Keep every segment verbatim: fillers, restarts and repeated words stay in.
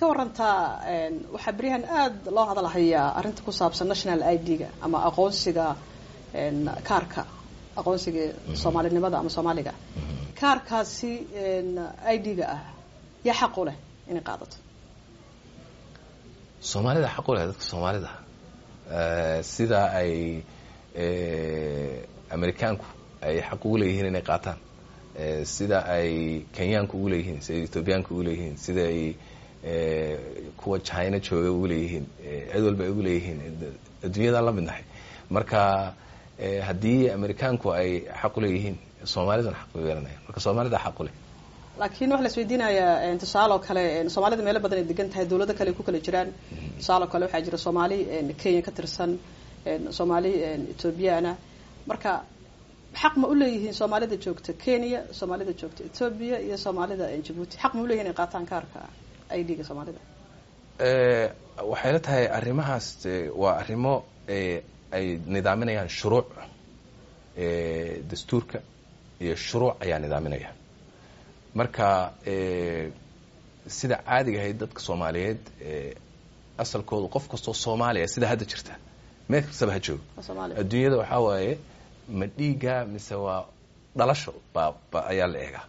ka warantaa, waxaa beryahan aada loo hadalhayaa arrinta ku saabsan national I D-ga ama aqoonsiga, kaarka aqoonsiga soomaalinimada ama Soomaaliga. Kaarkaasi I D-ga ah, yaa xaq u leh inay qaadato? Soomaalida xaq u leh, dadka Soomaalida, sida ay Amerikaanku ay xaq ugu leeyihiin inay qaataan, sida ay Kenyaanku ugu leeyihiin, sida ay Ethoobiyaanku ugu leeyihiin, sida ay kuwa China jooga ugu leeyihiin, cid walba ay ugu leeyihiin, adduunyadaan la mid nahay. Marka haddii Amerikaanku ay xaq u leeyihiin, Soomaaliduna xaq bay yeelanayaan. Marka Soomaalida xaq u leh. Laakiin waxaa la isweydiinayaa, tusaale oo kale, Soomaalida meelo badan ay degan tahay, dawlado kale ay ku kala jiraan. Tusaale oo kale, waxaa jira Soomaali Kenya ka tirsan, Soomaali Ethoobiyaana. Marka xaq ma u leeyihiin Soomaalida joogta Kenya, Soomaalida joogta Ethoobia iyo Soomaalida Jabuuti, xaq ma u leeyihin inay qaataan kaarka I D-ga Soomaalida? Waxay la tahay arrimahaas waa arrimo ay nidaaminayaan shuruuc. Dastuurka iyo shuruuc ayaa nidaaminaya. Marka sida caadiga ahayd, dadka Soomaaliyeed asalkoodu, qof kastoo Soomaaliya sida hadda jirta, meel kastaba ha joogo adduunyada, waxaa waaye ma dhiiga mise waa dhalasho ba ba ayaa la eegaa.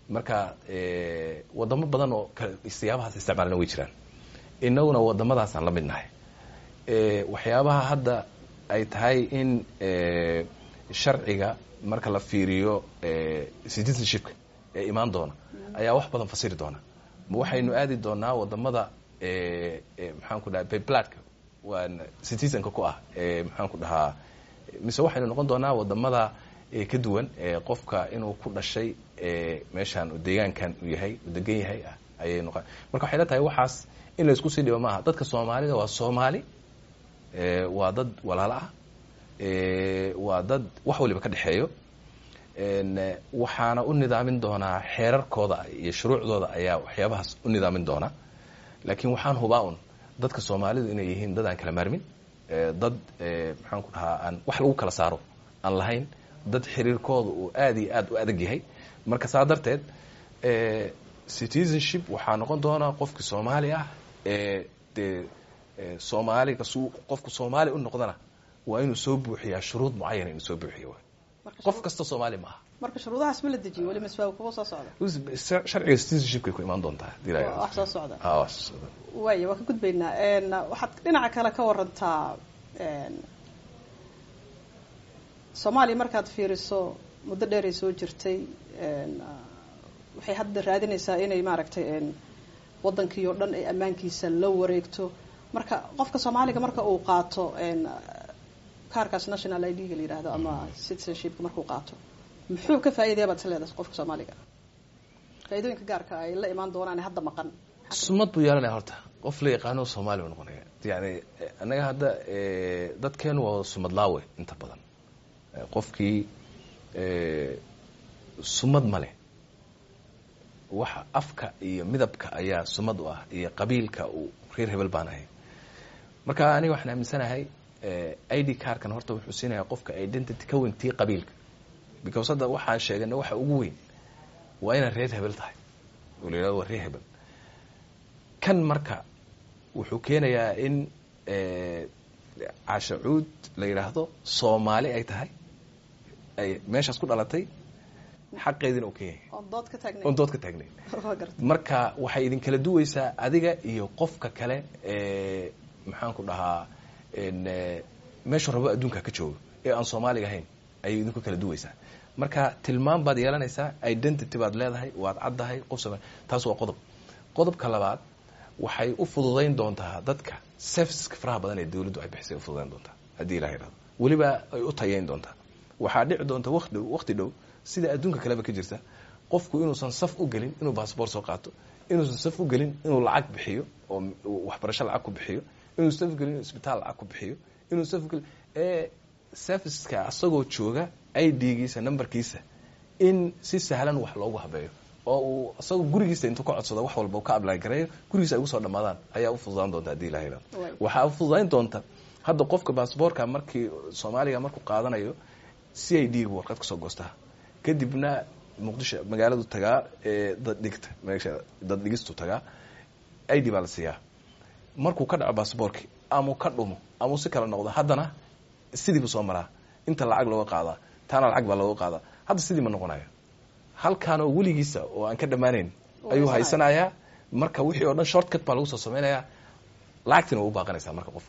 Marka wadamo badan oo siyaabahaas isticmaalna way jiraan, inaguna wadamadaasaan la mid nahay. Waxyaabaha hadda ay tahay in sharciga marka la fiiriyo citizenshipka ee imaan doona ayaa wax badan fasiri doona. Ma waxaynu aadi doonaa wadamada, maxaan ku dhaha, by bloodka waan citizenka ku ah, maxaan ku dhahaa, mise waxaynu noqon doonaa wadamada ka duwan, qofka inuu ku dhashay meeshaan, deegaankan uu yahay, uu degan yahay ayay noqon. Marka waxay la tahay waxaas in la isku sii dhibo maaha. Dadka Soomaalida waa Soomaali, waa dad walaalo ah, waa dad wax waliba ka dhexeeyo. Waxaana u nidaamin doonaa xeerarkooda iyo shuruucdooda ayaa waxyaabahaas u nidaamin doona. Laakiin waxaan hubaa un dadka Soomaalidu inay yihiin dad aan kala maarmin, dad, maxaan ku dhahaa, aan wax lagu kala saaro aan lahayn, dad xiriirkooda uu aad iyo aad u adag yahay. Marka saa darteed citizenship waxaa noqon doonaa qofki Soomaali ah ee dee Soomaaliga su qofku Soomaali u noqdana waa inuu soo buuxiyaa shuruud mucayana, inuu soo buuxiyo. Qof kasta Soomaali ma aha. Marka shuruudahaas ma la dejiyo weli mise waa kuwa soo socda? Sharciga citizenshipkay ku imaan doontaa. Wax soo socda. Ha, wax soo socda. Waaya, waa ka gudbaynaa. Waxaad dhinaca kale ka warantaa Soomaaliya. Markaad fiiriso, muddo dheer ay soo jirtay, waxay hadda raadinaysaa inay maaragtay waddankii oo dhan ay ammaankiisa la wareegto. Marka qofka Soomaaliga marka uu qaato kaarkaas national I D-ga la yidhaahdo ama citizenshipka markuu qaato, muxuu ka faa'iidaya baad is leedahay qofka Soomaaliga? Faa'iidooyinka gaarka ay la imaan doonaan hadda maqan? Sumad buu yeelanaya horta. Qof la yaqaano Soomaali buu noqonaya. Yani annaga hadda dadkeenu waa sumad laawe inta badan. Qofkii sumad ma leh. Waxa afka iyo midabka ayaa sumad u ah, iyo qabiilka uu reer hebel baan ahay. Marka aniga waxaan aaminsanahay I D cardkan horta wuxuu siinayaa qofka identity ka weyn tii qabiilka, because hadda waxaan sheegana waxa ugu weyn waa inaad reer hebel tahay oo la yidhahdo waa reer hebel kan. Marka wuxuu keenayaa in Caashacuud la yidhaahdo Soomaali ay tahay, ay meeshaas ku dhalatay, xaqeediina uu ka yahay. Oon dood ka taagnayn. Oon dood ka taagnayn. Marka waxay idin kala duwaysaa adiga iyo qofka kale ee, maxaan ku dhahaa, meeshuu rabo adduunka ka joogo ee aan Soomaaliga ahayn ayay idinku kala duwaysaa. Marka tilmaam baad yeelanaysaa, identity baad leedahay, waad caddahay qof Soomaali. Taas waa qodob. Qodobka labaad, waxay u fududayn doontaa dadka serviceska faraha badan ee dawladdu ay bixisay u fududayn doontaa, haddii Ilaha yidhahdo. Weliba ay u tayeyn doontaa. Waxaa dhici doonta waqti dhow, waqti dhow, sida adduunka kaleba ka jirta, qofku inuusan saf u gelin inuu baasboor soo qaato, inuusan saf u gelin inuu lacag bixiyo oo waxbarasho lacag ku bixiyo, inuu saf gelin inuu isbitaal lacag ku bixiyo, inuu saf gelin ee serviceska asagoo jooga I D-giisa, numberkiisa, in si sahlan wax loogu habeeyo oo uu isagoo gurigiisa intuu ka codsado wax walba ka apply gareeyo, gurigiisa ay ugu soo dhamaadaan ayaa u fududaan doonta, haddii Ilaha yidhahdo. Waxaa u fududayn doonta hadda qofka baasboorka markii Soomaaliga markuu qaadanayo, C I D gu warqad kasoo goostaa, kadibna Muqdisho magaaladu tagaa, dad dhigta meesha dad dhigistu tagaa. I D baa la siiyaa. Markuu ka dhaco basaboorki ama ka dhumo ama si kala noqdo, haddana sidii buu soo maraa, inta lacag looga qaadaa, taana lacag baa looga qaadaa. Hadda sidii ma noqonayo, halkaanoo weligiisa oo aan ka dhammaanayn ayuu haysanayaa. Marka wixii oo dhan shortcut baa lagu soo samaynayaa, lacagtina waa u baaqanaysaa marka qof